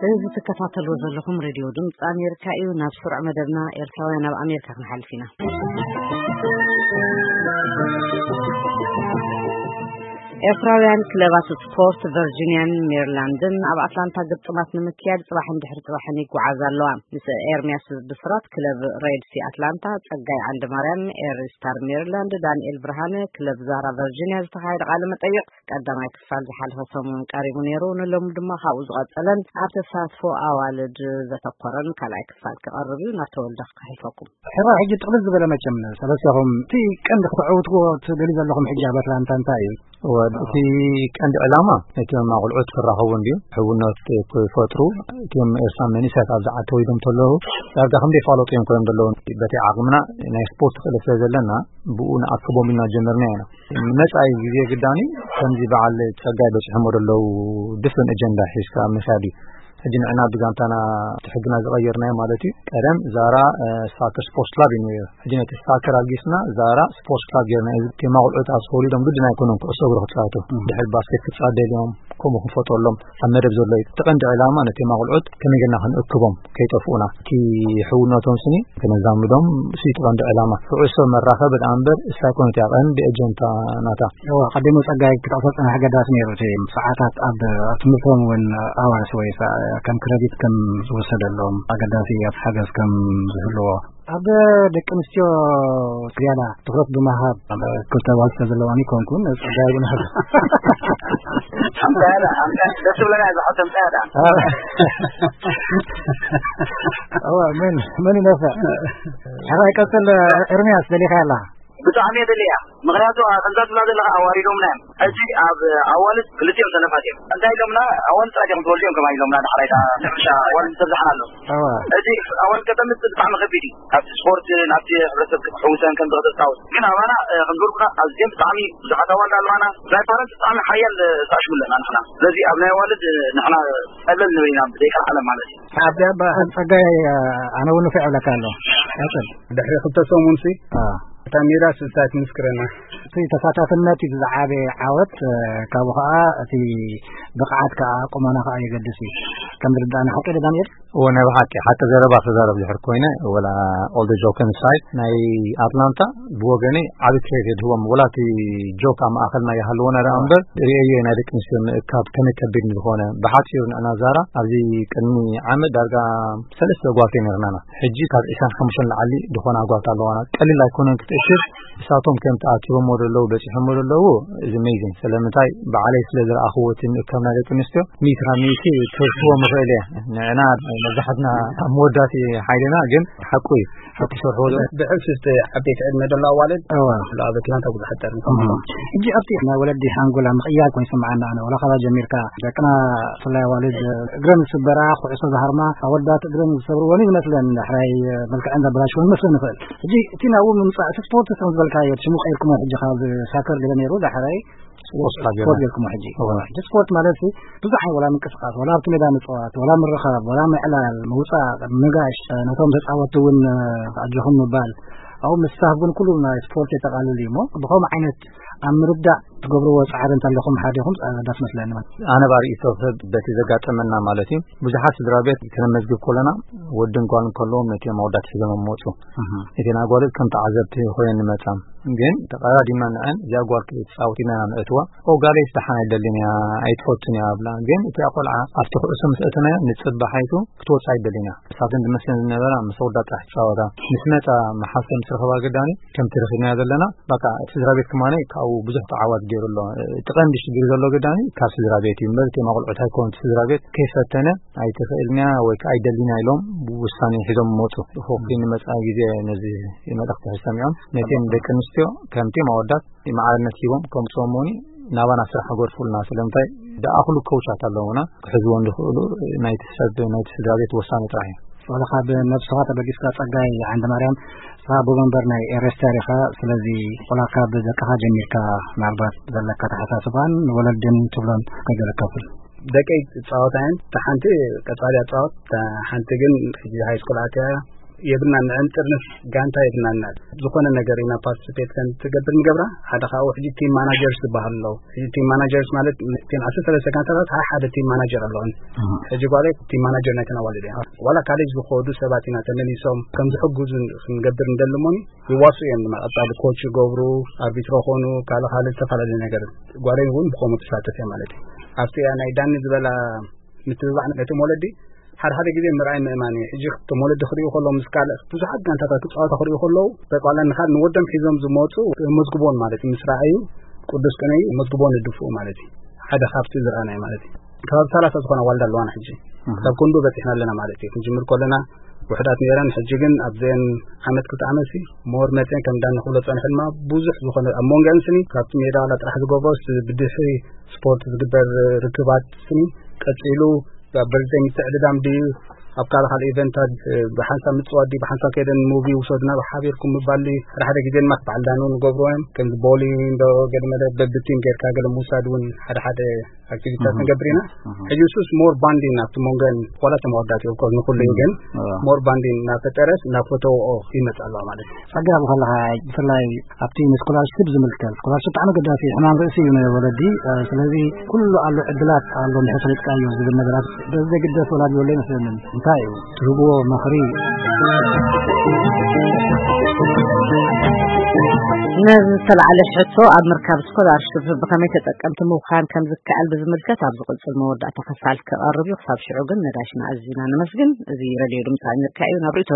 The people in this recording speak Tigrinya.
እዚ ትከታተልዎ ዘለኹም ሬድዮ ድምፂ ኣሜሪካ እዩ። ናብ ስሩዕ መደብና ኤርትራውያን ኣብ ኣሜሪካ ክንሓልፍ ኢና። ኤርትራውያን ክለባት ስፖርት ቨርጂኒያን ሜሪላንድን ኣብ ኣትላንታ ግጥማት ንምክያድ ጽባሕን ድሕሪ ጽባሕን ይጓዓዛ ኣለዋ። ምስ ኤርሚያስ ብስራት ክለብ ሬድሲ ኣትላንታ፣ ጸጋይ ዓንደ ማርያም ኤሪ ስታር ሜሪላንድ፣ ዳንኤል ብርሃነ ክለብ ዛራ ቨርጂኒያ ዝተኻየደ ቃለ መጠይቕ ቀዳማይ ክፋል ዝሓለፈ ሰሙን ቀሪቡ ነይሩ። ንሎሚ ድማ ካብኡ ዝቐጸለን ኣብ ተሳትፎ ኣዋልድ ዘተኮረን ካልኣይ ክፋል ክቐርብ እዩ። ናብ ተወልደ ከሕልፈኩም። ሕራይ ሕጂ ጥቕልል ዝበለ መቸም ሰለስተኹም እቲ ቀንዲ ክትዕውትዎ ትደልዩ ዘለኹም ሕጂ ኣብ ኣትላንታ እንታይ እዩ? ወድ-፣ እቲ ቀንዲ ዕላማ ነቲ መማቕልዑት ክራኸቡ እንድዩ፣ ሕውነት ክፈጥሩ። እቲኦም ኤርትራ መንእሰያት ኣብዚ ዓዲ ተወሊዶም ተለዉ ዳርጋ ከም ዘይፋለጡ እዮም ኮይኖም ዘለዉ። በቲ ዓቕምና ናይ ስፖርት ክእለት ስለ ዘለና ብኡ ንኣክቦም ኢልና ጀመርና ኢና። ንመጻኢ ግዜ ግዳኒ ከምዚ በዓል ጸጋይ በጺሖሞ ዘለዉ ድፍን ኣጀንዳ ሒዝካ ምሻድ እዩ። ሕጂ ንዕና ብጋንታና እቲ ሕግና ዝቐየርናዮ ማለት እዩ። ቀደም ዛራ፣ እ፣ ሳከር ስፖርት ክላብ እዩ ነይሩ። ሕጂ ነቲ ሳከር ኣልጊስና ዛራ ስፖርት ክላብ ጌርና። እዚ ቴማ ቁልዑት ኣብ ተወሊዶም ግድን ኣይኮኑን ኩዕሶ እግሪ ክጻወቱ። እም። ድሕሪ ባስኬት ክጻወቱ ደልዮም ከምኡ ክንፈጥረሎም ኣብ መደብ ዘሎ እዩ። እቲ ቀንዲ ዕላማ ነቲ ቴማ ቁልዑት ከመይ ጌርና ክንእክቦም ከይጠፍኡና። እቲ ሕውነቶም ስኒ ከነዛምዶም እሱ እዩ እቲ ቀንዲ ዕላማ። ኩዕሶ መራኸቢ ደኣ እምበር እሳ ኣይኮነት እያ ቀንዲ ኣጀንዳ ናታ። እዋ፣ ቀዲሙ ጸጋይ ክጠቕሶ ዝጸንሐ ኣገዳሲ ነይሩ። እቲ ሰዓታት ኣብ፣ ኣብ ትምህርቶም እውን ኣዋርስ ወይ ሰ-፣ ከም ክረዲት ከም ዝወሰደሎም ኣገዳሲ ኣብ ሓገዝ ከም ዝህልዎ። ኣብ ደቂ ኣንስትዮ ዝያዳ ትኹረት ብምሃብ ኣብ ክልተ ኣዋልድ ስለ ዘለዋን ይኮንኩን ጸጋይ እውን ኣብ ኣምጣያ ደኣ፣ ኣምጣያ ደስ ዝብለና እዛ ሕቶ ኣምጣያ ደኣ። እዋ፣ መን፣ መን ይነፍዕ? ሕራይ ቀጽል፣ ኤርምያስ፣ ደሊኻ ያላ? ብጣዕሚ እየ ደልያ። ምኽንያቱ፣ ኣ-፣ ከምዛ ትብላ ዘለኻ ኣዋሪዶምና እዮም። ሕጂ ኣብ ኣዋልድ ክልቲኦም ሰነፋት እዮም። እንታይ ኢሎምና? ኣዋልድ ጥራይ እዮም ትወልዱ እዮም ከማን ኢሎምና። ዳሕራይ ከኣ ሕርሻ ኣዋልድ ምስተብዛሕና ኣሎ። እዋ። ሕጂ ኣዋልድ ከተምጽእ ብጣዕሚ ከቢድ እዩ። ካብቲ ስፖርት ናብቲ ሕብረተሰብ ክትሕውሰን ከምዚ ከተጻውት። ግን ኣባና፣ እ፣ ከም ዝበልኩና ኣዝዮም ብጣዕሚ ብዙሓት ኣዋልድ ኣለዋና። ናይ ፓረንት ብጣዕሚ ሓያል፣ እ፣ ተኣሽሙ ኣለና ንሕና። ስለዚ ኣብ ናይ ኣዋልድ፣ እ፣ ንሕና ቀለል ንብል ኢና ብዘይቀልዓለም ማለት እዩ። ሓቂ እባ ጸጋይ፣ ኣነ እውን ንፉዕ እብለካ ኣለኹ። ቀጽል። ድሕሪ ክልተ ሰሙንሲ አ። እታ ሜዳ ስልሳ ትምስክረና። እቲ ተሳታፍነት እዩ ዝዓበየ ዓወት፣ እ፣ ካብኡ ኸዓ እቲ ብቕዓት ከኣ ቁመና ኸኣ የገድስ እዩ። ከም ዝርዳእና ሓቂ ዶ ዳንኤል? እወ፣ ናይ ብሓቂ ሓቂ ዘረባ ክዛረብ ድሕር ኮይነ፣ ወላ all the joke aside፣ ናይ ኣትላንታ ብወገነይ ዓቢ ክሬት የድህቦም። ወላ እቲ ጆክ ኣብ ማእኸልና ይሃልወና ደኣ እምበር፣ ርእየዮ ናይ ደቂ ኣንስትዮ ምእካብ ከመይ ከቢድ ዝኾነ። ብሓጺሩ ንዕና ዛራ ኣብዚ ቅድሚ ዓመት ዳርጋ ሰለስተ ኣጓልቲ ነርናና። ሕጂ ካብ ዕስራን ሓሙሽተን ላዕሊ ዝኾና ኣጓልቲ ኣለዋና። ቀሊል ኣይኮነን ክትእሽር። እሳቶም ከም ተኣኪቦሞ ዘለዉ፣ በጺሖሞ ዘለዉ፣ እዚ ኣሜዚንግ። ስለምንታይ? ባዕለይ ስለ ዝረኣኽዎ እቲ ምእካብ ናይ ደቂ ኣንስትዮ፣ ሚእቲ ካብ ሚእቲ ክህርትዎ ምኽእል እየ። ንዕና መብዛሕትና ኣብ መወዳእቲ ሓይልና፣ ግን ሓቁ እዩ። ሓቂ ሰርሕዎ ዘሎ። ብሕልፊ እቲ ዓበይቲ ዕድመ ዘሎ ኣዋልድ እዋ። ኣብ ኣትላንታ ብዙሓት ጠርኒ እዋ። ከምኡ። ሕጂ ኣብቲ ናይ ወለዲ ሓንጎል ኣብ ምቕያር ኮይኑ ይስምዓና ኣነ። ወላ ካባ ጀሚርካ ደቅና ብፍላይ ኣዋልድ እግረን ዝስበራ፣ ኩዕሶ ዝሃርማ፣ ኣወዳት እግረን ዝሰብርወን እዩ ዝመስለን። ዳሕራይ መልክዐን ዘበላሽወን ይመስለን ይኽእል። ሕጂ እቲ ናብኡ ምምጻእ፣ እቲ ስፖርት ከም ዝበልካዮ፣ ሽሙ ቀይርኩሞ ሕጂ ካብ ሳከር ገለ ነይሩ፣ ዳሕራይ ስፖርት ክለብ ስፖርት ጌርና። ጌርኩሞ ሕጂ። እዋ። ሕጂ ስፖርት ማለት ሲ ብዙሕ ዓይነት ወላ ምንቅስቃስ፣ ወላ ኣብቲ ሜዳ ምጽዋት፣ ወላ ምርኻብ፣ ወላ ምዕላል፣ ምውጻእ፣ ምጋሽ፣ ነቶም ተጻወትቲ እውን ኣጆኹም ምባል፣ ኣብኡ ምስታፍ እውን ኩሉ ናይ ስፖርት የጠቓልል እዩ እሞ፣ ብኸምኡ ዓይነት ኣብ ምርዳእ ትገብርዎ ጻዕሪ እንተለኹም ሓዲኹም ጸ-፣ ደስ መስለኒ። ኣነ ብኣርእስቶ ሰብ በቲ ዘጋጠመና ማለት እዩ። ብዙሓት ስድራ ቤት ከነመዝግብ ከለና ወድን ጓልን ከለዎም ነቲ መወዳት ሒዞም መጹ። እህ። እቲ ናይ ጓልት ከም ተዓዘብቲ ኮይነን ንመጻ። ግን ተቐዳዲምና ንዐን እዚኣ ጓል ክትጻወት ኢና ነእትዋ። ኦ ጋለይስ ደሓን ኣይደልን እያ፣ ኣይትፈቱን እያ ኣብላ። ግን እቲኣ ቆልዓ ኣብቲ ኩዕሶ ምስ ኣእተናያ ንጽባሓይቱ ክትወጽእ ኣይደልን እያ። ንሳተን ዝመስለን ዝነበራ ምስ ኣወዳት ጥራሕ ትጻወታ። ምስ መጻ መሓሰ ምስ ረኸባ ግዳኒ ከምቲ ረኺብናዮ ዘለና፣ በቃ እቲ ስድራ ቤት ከማነይ ካብኡ ብዙሕ ተዓዋት ገይሩ ኣሎ። እቲ ቀንዲ ሽግር ዘሎ ግዳኒ ካብ ስድራ ቤት እዩ እምበር፣ እቲ መቑልዑት ኣይኮኑን። እቲ ስድራ ቤት ከይፈተነ ኣይትኽእልንያ ወይ ከዓ ኣይደልንያ ኢሎም ውሳኔ ሒዞም መፁ። ሆፕ ንመፃኢ ግዜ ነዚ መልእኽቲ ሰሚዖም ነተን ደቂ ኣንስትዮ ከምቲ ማወዳት ማዕርነት ሂቦም ከምፅኦም መሆኒ ናባና ስራሕ ገርፉልና። ስለምንታይ? ዝኣኽሉ ኮውቻት ኣለውና ክሕዝዎም ዝኽእሉ ናይቲ ሰብ፣ ናይቲ ስድራ ቤት ወሳኒ ጥራሕ እዩ። ወላ ካብ ነብስኻ ተበጊስካ ጸጋይ ዓንደ ማርያም፣ ንስኻ ኣቦ መንበር ናይ ኤሬስታር ኢኻ። ስለዚ ቆላ ካብ ደቅኻ ጀሚርካ ምናልባት ዘለካ ኣተሓሳስባን ንወለድን ትብሎን ከይገለካፍል። ደቀይ ጻወታ እየን። እታ ሓንቲ ቀጻሊ ኣጻወት፣ እታ ሓንቲ ግን ሕጂ ሃይ ስኩል ኣትያ እያ። የብልናን። ንዕን ጥርንፍ ጋንታ የብልናን። ዝኾነ ነገር ኢና ፓርቲሲፔት ከም ትገብር ንገብራ። ሓደ ካብኡ ሕጂ ቲም ማናጀርስ ዝበሃል ኣለዉ። ሕጂ ቲም ማናጀርስ ማለት እተን ዓሰርተ ሰለስተ ጋንታታት ሓደ ሓደ ቲም ማናጀር ኣለዎን። ሕጂ ጓለይ ቲም ማናጀር ናይተን ኣዋልድ እያ። ዋላ ካሌጅ ዝኸዱ ሰባት ኢና ተመሊሶም ከም ዝሕግዙ ክንገብር እንደሊ እሞኒ ይዋስኡ እዮም። ድማ ቀጻሊ ኮች ይገብሩ፣ ኣርቢትሮ ኾኑ፣ ካልእ ካልእ ዝተፈላለዩ ነገር። ጓለይ እውን ብኸምኡ ትሳተፍ እያ ማለት እዩ። ኣብቲ ናይ ዳኒ ዝበላ ምትብባዕ ነቶም ወለዲ ሓደ ሓደ ግዜ ምርኣይ ምእማን እዩ። ሕጂ እቶም ወለዲ ክርእዩ ከለዉ ምስ ካልእ ብዙሓት ጋንታታት ክጻወታ ክርእዩ ከለዉ በቃ ዋላ ንኻል ንወዶም ሒዞም ዝመጹ መዝግቦን ማለት እዩ። ምስ ረኣዩ ቅዱስ ቅነ መዝግቦን ይድፍኡ ማለት እዩ። ሓደ ካብቲ ዝረኣናይ ማለት እዩ። ከባቢ ሰላሳ ዝኾና ዋልዳ ኣለዋና ሕጂ። ካብ ክንዱ በጺሕና ኣለና ማለት እዩ። ክንጅምር ከለና ውሕዳት ነይረን፣ ሕጂ ግን ኣብዘን ዓመት ክልተ ዓመት ሲ ሞር መጺአን ከም ዳኒ ክብሎ ጸንሐ ድማ ብዙሕ ዝኾነ ኣብ መንገአን ስኒ ካብቲ ሜዳ ዋላ ጥራሕ ዝገብሮ ስ-፣ ብድሕሪ ስፖርት ዝግበር ርክባት ስኒ ቀጺሉ ኣብ በርዝደይ ምትዕድዳም ድዩ ኣብ ካልእ ካልእ ኢቨንታት፣ እ፣ ብሓንሳብ ምጽዋት ድዩ ብሓንሳብ ከይደን ሙቪ ውሰዱና ብሓቢርኩም ምባል ድዩ። ሓደ ሓደ ግዜ ድማ በዓል ዳኒ እውን ንገብርዎ እዮም። ከምዚ ቦሊንግ እንዶ ገለ መለ በብቲም ጌርካ ገለ ምውሳድ እውን ሓደ ሓደ ኣክቲቪቲታት ንገብር ኢና። ሕጂ እሱስ ሞር ባንዲን ኣብቲ መንጎን ዋላ እቶም ኣወዳት እዮም፣ ኦፍኮርስ ንኹሉ እዩ፣ ግን ሞር ባንዲን እናፈጠረስ እናፈተውኦ ይመጽእ ኣለዋ ማለት እዩ። ጸጋ ከለኻ ብፍላይ ኣብቲ ንስኮላርሽፕ ዝምልከት፣ ስኮላርሽፕ ብጣዕሚ ኣገዳሲ እዩ፣ ሕማም ርእሲ እዩ ናይ ወለዲ። እ፣ ስለዚ ኩሉ ኣሎ ዕድላት ኣሎ እንድሕር ፈሊጥካዮ ዝብል ነገራት በዚ ዘይግደስ ወላዲ ዘሎ ይመስለንን። እንታይ እዩ ትህብዎ ምኽሪ? ነዚ ዝተላዕለ ሕቶ ኣብ ምርካብ ስኮላርሽፕ ብኸመይ ተጠቀምቲ ምዃን ከም ዝከኣል ብዝምልከት ኣብ ዝቕጽል መወዳእታ ክፋል ክቐርብ እዩ። ክሳብ ሽዑ ግን ነጋሽና ኣዚና ነመስግን። እዚ ረድዮ ድምፂ ኣሜሪካ እዩ። ናብ ርእይቶ